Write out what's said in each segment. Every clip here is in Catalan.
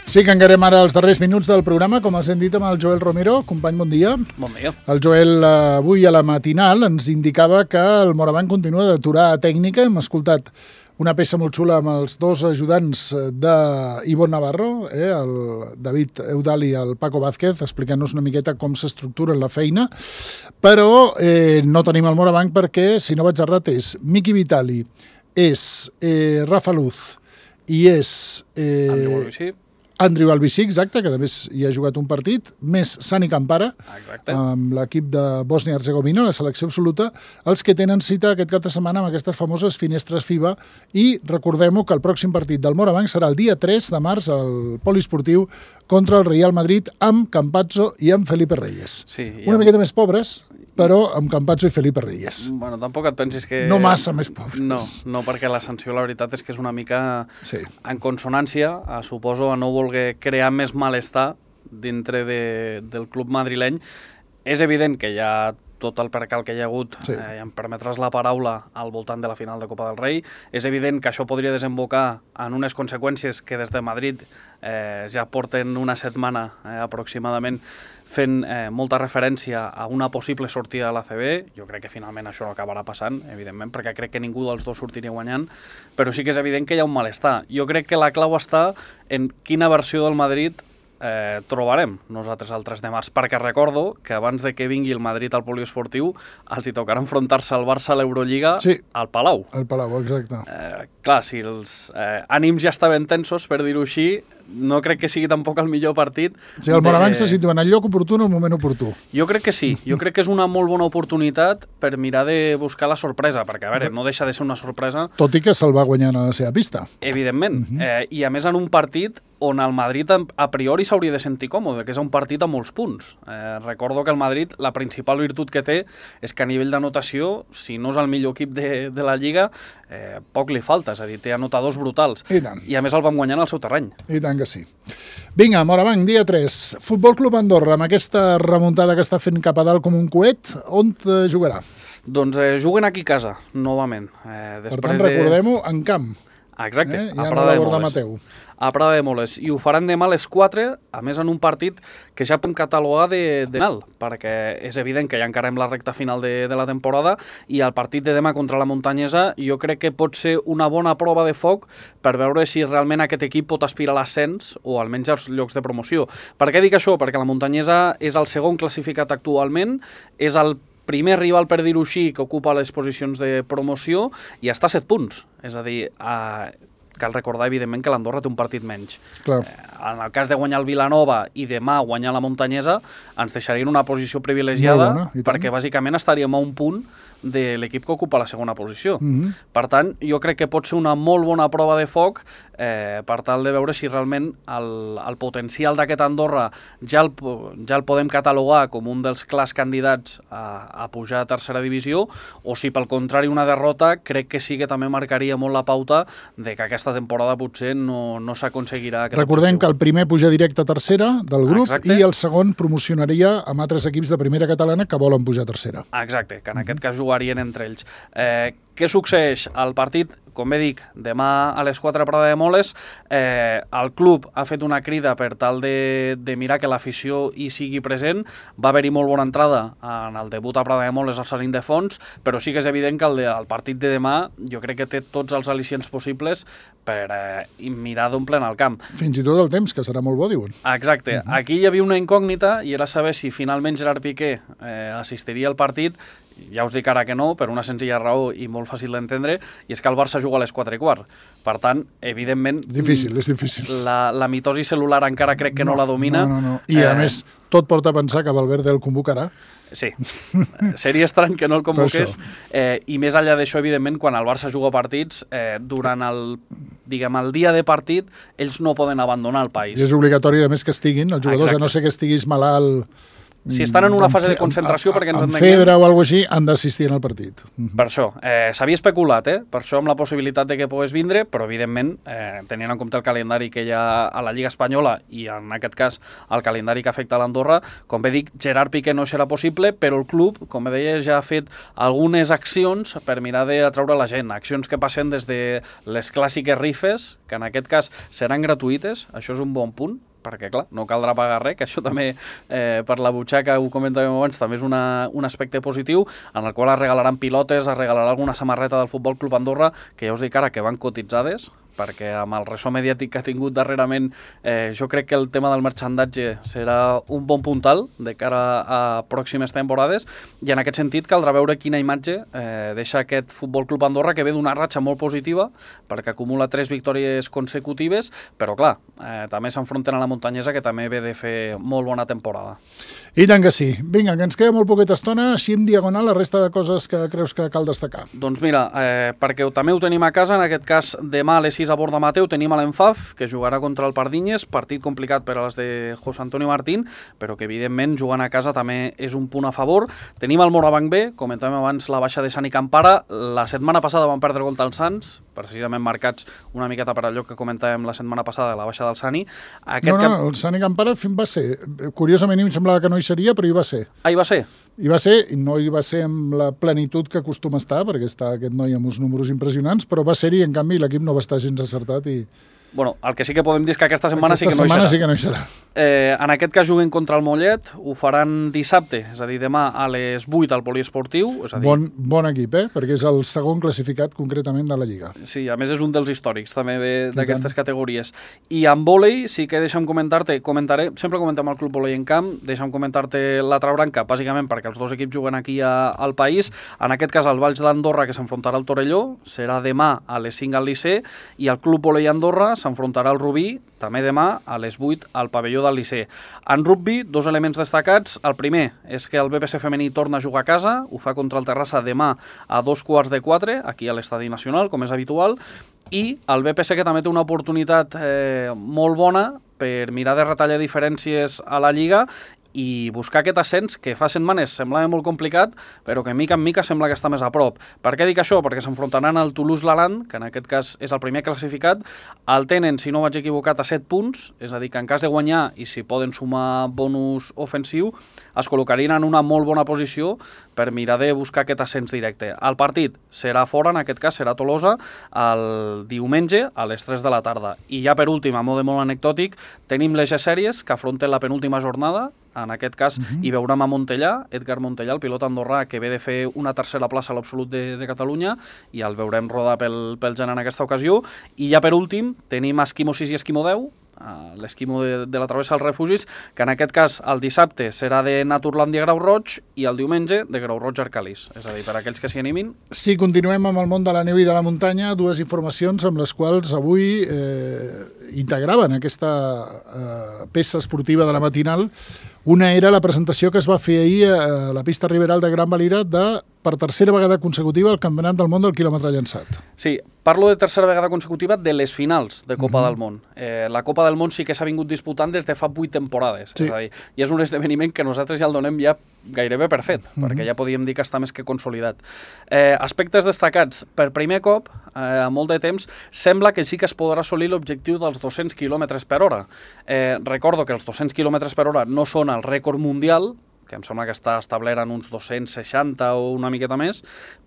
Sí, que encarem ara els darrers minuts del programa, com els hem dit amb el Joel Romero. Company, bon dia. Bon dia. El Joel avui a la matinal ens indicava que el Moraván continua d'aturar tècnica. Hem escoltat una peça molt xula amb els dos ajudants d'Ivonne Navarro, el David Eudal i el Paco Vázquez, explicant-nos una miqueta com s'estructura la feina, però no tenim el Moraván perquè, si no vaig errat, és Miki Vitali, és Rafa Luz i és Andrew Albici, exacte, que a més hi ha jugat un partit, més Sani Campara, amb l'equip de Bòsnia-Herzegovina, la selecció absoluta, els que tenen cita aquest cap de setmana amb aquestes famoses finestres FIBA, i recordem-ho que el pròxim partit del Moraván serà el dia 3 de març al poliesportiu contra el Real Madrid amb Campazzo i amb Felipe Reyes. Sí, una miqueta més pobres, però amb Campazzo i Felipe Reyes. Bueno, tampoc et pensis que... No massa més pobres. No, perquè la sanció, la veritat, és que és una mica en consonància, suposo, a no voler crear més malestar dintre del club madrileny. És evident que hi ha tot el percal que hi ha hagut, i em permetràs la paraula, al voltant de la final de Copa del Rei. És evident que això podria desembocar en unes conseqüències que des de Madrid ja porten una setmana aproximadament fent molta referència a una possible sortida de l'ACB. Jo crec que finalment això no acabarà passant, evidentment, perquè crec que ningú dels dos sortiria guanyant, però sí que és evident que hi ha un malestar. Jo crec que la clau està en quina versió del Madrid trobarem nosaltres el 3 de març, perquè recordo que abans de que vingui el Madrid al poliesportiu els hi tocarà enfrontar-se al Barça a l'Eurolliga al Palau. Al Palau, exacte. Clar, si els ànims ja estaven tensos, per dir-ho així, no crec que sigui tampoc el millor partit. O sigui, el Moraván se situa en el lloc oportú en el moment oportú. Jo crec que sí. Jo crec que és una molt bona oportunitat per mirar de buscar la sorpresa, perquè, a veure, no deixa de ser una sorpresa. Tot i que se'l va guanyar a la seva pista. Evidentment. I a més en un partit on el Madrid a priori s'hauria de sentir còmode, que és un partit amb molts punts. Recordo que el Madrid, la principal virtut que té és que a nivell d'anotació, si no és el millor equip de la Lliga, poc li falta, és a dir, té anotadors brutals. I a més el vam guanyar en el seu terreny. I tant que sí. Vinga, Moraván, dia 3. Futbol Club Andorra, amb aquesta remuntada que està fent cap a dalt com un coet, on jugarà? Doncs juguen aquí a casa, novament. Per tant, recordem-ho, en camp. Exacte, a Prada de Moles. A Prada de Moles. I ho faran demà a les 4, a més en un partit que ja podem catalogar de final, perquè és evident que ja encarem la recta final de la temporada, i el partit de demà contra la Muntanyesa jo crec que pot ser una bona prova de foc per veure si realment aquest equip pot aspirar a l'ascens o almenys als llocs de promoció. Per què dic això? Perquè la Muntanyesa és el segon classificat actualment, és el primer rival, per dir-ho així, que ocupa les posicions de promoció i està a 7 punts. És a dir, cal recordar, evidentment, que l'Andorra té un partit menys. En el cas de guanyar el Vilanova i demà guanyar la Muntanyesa, ens deixaria en una posició privilegiada perquè bàsicament estaríem a un punt de l'equip que ocupa la segona posició. Per tant, jo crec que pot ser una molt bona prova de foc per tal de veure si realment el potencial d'aquest Andorra ja el podem catalogar com un dels clars candidats a pujar a tercera divisió, o si pel contrari una derrota crec que sí que també marcaria molt la pauta de que aquesta temporada potser no s'aconseguirà aquest Recordem que el primer puja directe a tercera del grup i el segon promocionaria amb altres equips de primera catalana que volen pujar a tercera. Exacte, que en aquest cas jugarien entre ells. Què succeeix? El partit, com bé dic, demà a les 4 a Prada de Moles, el club ha fet una crida per tal de mirar que l'afició hi sigui present. Va haver-hi molt bona entrada en el debut a Prada de Moles al Sant Ildefons, però sí que és evident que el partit de demà jo crec que té tots els al·licients possibles per mirar d'omplir el camp. Fins i tot el temps, que serà molt bo, diuen. Exacte. Aquí hi havia una incògnita i era saber si finalment Gerard Piqué assistiria al partit. Ja us dic ara que no, per una senzilla raó i molt fàcil d'entendre, i és que el Barça juga a les 4:15. Per tant, evidentment... És difícil. La mitosi celular encara crec que no la domina. No. I a més, tot porta a pensar que Valverde el convocarà. Sí, seria estrany que no el convoqués. I més enllà d'això, evidentment, quan el Barça juga partits, durant el dia de partit, ells no poden abandonar el país. I és obligatori, a més, que estiguin els jugadors, a no ser que estiguis malalt si estan en una fase de concentració perquè ens amb entenguem... febre o alguna cosa així, han d'assistir al partit. Per això, s'havia especulat, per això amb la possibilitat de que pogués vindre, però evidentment, tenint en compte el calendari que hi ha a la Lliga Espanyola i en aquest cas el calendari que afecta a l'Andorra, com bé dic, Gerard Piqué no serà possible, però el club, com bé deia, ja ha fet algunes accions per mirar d'atraure la gent, accions que passen des de les clàssiques rifes, que en aquest cas seran gratuïtes, això és un bon punt, perquè, clar, no caldrà pagar res, que això també, per la butxaca, ho comentàvem abans, també és un aspecte positiu, en el qual es regalaran pilotes, es regalarà alguna samarreta del Futbol Club Andorra, que ja us dic ara que van cotitzades, perquè amb el ressò mediàtic que ha tingut darrerament, jo crec que el tema del merchandatge serà un bon puntal de cara a pròximes temporades, i en aquest sentit caldrà veure quina imatge deixa aquest Futbol Club Andorra, que ve d'una ratxa molt positiva, perquè acumula 3 victòries consecutives, però clar, també s'enfronten a la Muntanyesa, que també ve de fer molt bona temporada. I tant que sí. Vinga, que ens queda molt poqueta estona, així en diagonal, la resta de coses que creus que cal destacar. Doncs mira, perquè també ho tenim a casa, en aquest cas demà a les 6 a Borda Mateu tenim a l'Enfaf, que jugarà contra el Pardinyes, partit complicat per a les de José Antonio Martín, però que evidentment jugant a casa també és un punt a favor. Tenim el Morabanc B, comentàvem abans la baixa de Sani Campara, la setmana passada van perdre contra els Sants, precisament marcats una miqueta per allò que comentàvem la setmana passada, la baixa del Sani. El Sani Campara va ser, curiosament em semblava que no hi seria, però hi va ser. Ah, hi va ser? Hi va ser, i no hi va ser amb la plenitud que acostuma a estar, perquè està aquest noi amb uns números impressionants, però va ser-hi, en canvi, l'equip no va estar gens acertat i... Bueno, el que sí que podem dir és que aquesta setmana sí que no hi serà. En aquest cas juguen contra el Mollet, ho faran dissabte, és a dir, demà a les 8 al poliesportiu. És a dir... Bon equip, perquè és el segon classificat concretament de la Lliga. Sí, a més és un dels històrics també d'aquestes categories. I amb vòlei sí que deixa'm comentar-te, sempre comentem el Club Vòlei en Camp, deixa'm comentar-te l'altra branca, bàsicament perquè els dos equips juguen aquí al país. En aquest cas el Valls d'Andorra, que s'enfrontarà al Torelló, serà demà a les 5 al Liceu, i el Club Vòlei Andorra s'enfrontarà al Rubí, també demà a les 8 al pavelló del Liceu. En rugby, 2 elements destacats. El primer és que el BPC femení torna a jugar a casa, ho fa contra el Terrassa demà a 3:15, aquí a l'Estadi Nacional, com és habitual, i el BPC que també té una oportunitat molt bona per mirar de retallar diferències a la Lliga i buscar aquest ascens que fa setmanes semblava molt complicat, però que mica en mica sembla que està més a prop. Per què dic això? Perquè s'enfrontaran al Toulouse-Laland, que en aquest cas és el primer classificat, el tenen, si no vaig equivocat, a 7 punts, és a dir, que en cas de guanyar, i si poden sumar bonus ofensiu, es col·locarien en una molt bona posició per mirar de buscar aquest ascens directe. El partit serà fora, en aquest cas serà a Tolosa, el diumenge a les 3 de la tarda. I ja per últim, a mode molt anecdòtic, tenim les G-Sèries que afronten la penúltima jornada. En aquest cas hi veurem a Montellà, Edgar Montellà, el pilot andorrà que ve de fer una tercera plaça a l'absolut de Catalunya, i el veurem rodar pel Gen en aquesta ocasió. I ja per últim tenim Esquimo 6 i Esquimo 10, l'esquimo de la travessa als refugis, que en aquest cas el dissabte serà de Naturlàndia Grau Roig i el diumenge de Grau Roig Arcalís. És a dir, per aquells que s'hi animin. Sí, continuem amb el món de la neu i de la muntanya, dues informacions amb les quals avui integraven aquesta peça esportiva de la matinal. Una era la presentació que es va fer ahir a la pista Riberal de Gran Valira per tercera vegada consecutiva el Campionat del Món del quilòmetre llançat. Sí, parlo de tercera vegada consecutiva de les finals de Copa del Món. La Copa del Món sí que s'ha vingut disputant des de fa 8 temporades. Sí. És a dir, i és un esdeveniment que nosaltres ja el donem ja gairebé per fet, perquè ja podíem dir que està més que consolidat. Aspectes destacats. Per primer cop, a molt de temps, sembla que sí que es podrà assolir l'objectiu dels 200 km per hora. Recordo que els 200 km per hora no són el rècord mundial, que em sembla que està establert en uns 260 o una miqueta més,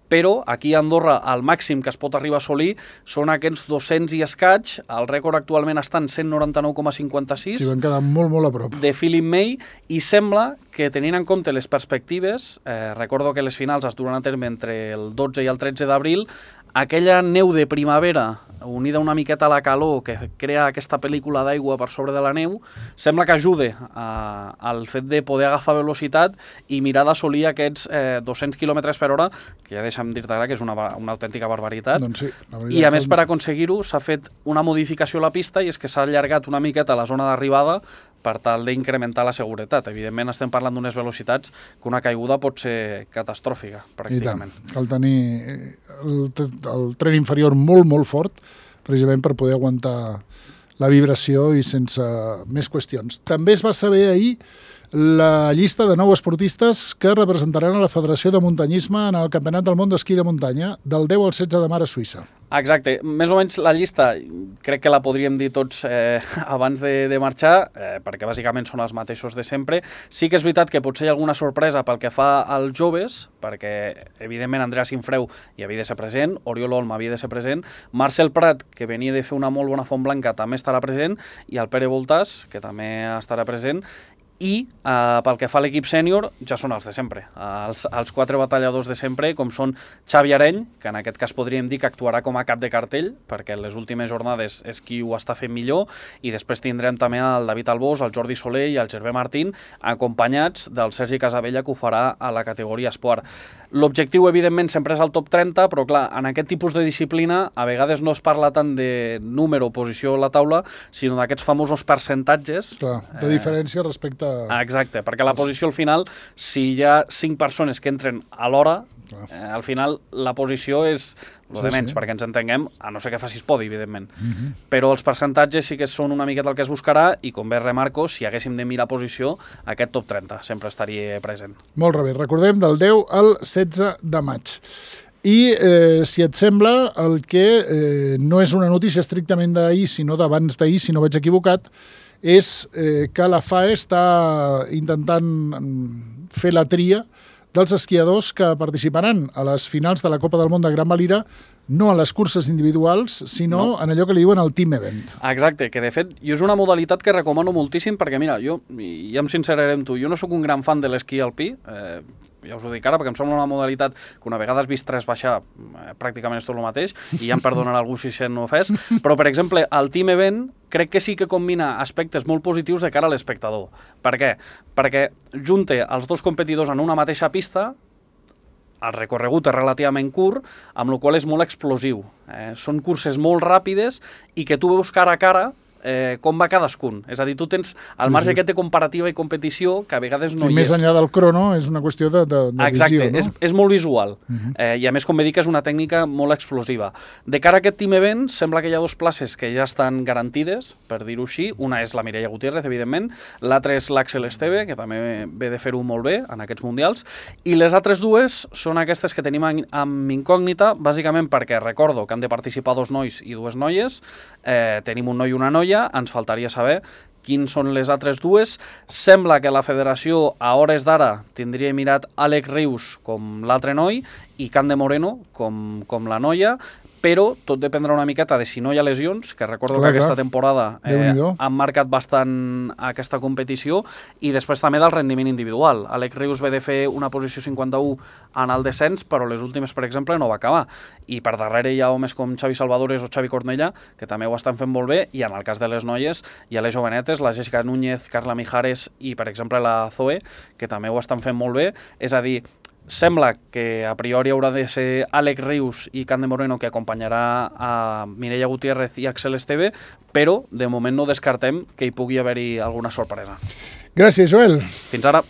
però aquí a Andorra el màxim que es pot arribar a assolir són aquests 200 i escaig. El rècord actualment està en 199,56. Sí, van quedar molt, molt a prop. De Philip May, i sembla que tenint en compte les perspectives, recordo que les finals es duran a terme entre el 12 i el 13 d'abril, aquella neu de primavera unida una miqueta a la calor que crea aquesta pel·lícula d'aigua per sobre de la neu, sembla que ajude al fet de poder agafar velocitat i mirar d'assolir aquests 200 km per hora, que ja deixa'm dir-te ara que és una autèntica barbaritat. Doncs sí, i a més, per aconseguir-ho, s'ha fet una modificació a la pista, i és que s'ha allargat una miqueta la zona d'arribada per tal d'incrementar la seguretat. Evidentment estem parlant d'unes velocitats que una caiguda pot ser catastròfica, pràcticament. I tant, cal tenir el tren inferior molt, molt fort, precisament per poder aguantar la vibració i sense més qüestions. També es va saber ahir la llista de 9 esportistes que representaran a la Federació de Muntanyisme en el Campionat del Món d'Esquí de Muntanya, del 10 al 16 de mar a Suïssa. Exacte, més o menys la llista crec que la podríem dir tots abans de marxar, perquè bàsicament són els mateixos de sempre. Sí que és veritat que potser hi ha alguna sorpresa pel que fa als joves, perquè evidentment Andrea Sinfreu hi havia de ser present, Oriol Olm havia de ser present, Marcel Prat, que venia de fer una molt bona font blanca, també estarà present, i el Pere Voltàs, que també estarà present. I pel que fa a l'equip sènior, ja són els de sempre. Els 4 batalladors de sempre, com són Xavi Areny, que en aquest cas podríem dir que actuarà com a cap de cartell, perquè en les últimes jornades és qui ho està fent millor, i després tindrem també el David Albós, el Jordi Soler i el Gervé Martín, acompanyats del Sergi Casabella, que ho farà a la categoria esport. L'objectiu, evidentment, sempre és el top 30, però clar, en aquest tipus de disciplina a vegades no es parla tant de número o posició a la taula, sinó d'aquests famosos percentatges. Clar, de diferència respecte a... Exacte, perquè la posició al final, si hi ha 5 persones que entren a l'hora, al final la posició és el de menys, perquè ens entenguem, a no ser que facis podi, evidentment. Però els percentatges sí que són una miqueta el que es buscarà, i com bé remarco, si haguéssim de mirar posició, aquest top 30 sempre estaria present. Molt bé, recordem del 10 al 16 de maig. I, si et sembla, el que no és una notícia estrictament d'ahir, sinó d'abans d'ahir, si no vaig equivocat, és que la FAE està intentant fer la tria dels esquiadors que participaran a les finals de la Copa del Món de Gran Valira, no a les curses individuals, sinó en allò que li diuen el team event. Exacte, que de fet jo és una modalitat que recomano moltíssim perquè, mira, jo, ja em sinceraré amb tu, jo no sóc un gran fan de l'esquí alpí, ja us ho dic ara, perquè em sembla una modalitat que una vegada has vist 3 baixar, pràcticament és tot el mateix, i ja em perdonarà algú si se'n no fes, però, per exemple, el team event crec que sí que combina aspectes molt positius de cara a l'espectador. Per què? Perquè junta els dos competidors en una mateixa pista, el recorregut és relativament curt, amb la qual cosa és molt explosiu. Són curses molt ràpides i que tu veus cara a cara com va cadascun. És a dir, tu tens el marge aquest de comparativa i competició que a vegades no hi és. Més enllà del crono és una qüestió de Exacte, visió, no? És molt visual. I a més, com bé dic, és una tècnica molt explosiva. De cara a aquest team event, sembla que hi ha 2 places que ja estan garantides, per dir-ho així. Una és la Mireia Gutiérrez, evidentment. L'altra és l'Àxel Esteve, que també ve de fer-ho molt bé en aquests mundials. I les altres 2 són aquestes que tenim amb incògnita, bàsicament perquè recordo que han de participar 2 nois i 2 noies. Tenim un noi i una noia, ens faltaria saber quins són les altres 2. Sembla que la federació a hores d'ara tindria mirat Àlex Rius com l'altre noi i Can de Moreno com la noia, però tot dependrà una miqueta de si no hi ha lesions, que recordo que aquesta temporada han marcat bastant aquesta competició, i després també del rendiment individual. Àlex Rius ve de fer una posició 51 en el descens, però les últimes, per exemple, no va acabar. I per darrere hi ha homes com Xavi Salvadores o Xavi Cornellà, que també ho estan fent molt bé, i en el cas de les noies hi ha les jovenetes, la Jessica Núñez, Carla Mijares i, per exemple, la Zoe, que també ho estan fent molt bé. És a dir, sembla que a priori haurà de ser Àlex Rius i Can de Moreno que acompanyarà a Mireia Gutiérrez i Àxel Esteve, però de moment no descartem que hi pugui haver-hi alguna sorpresa. Gràcies, Joel. Fins ara.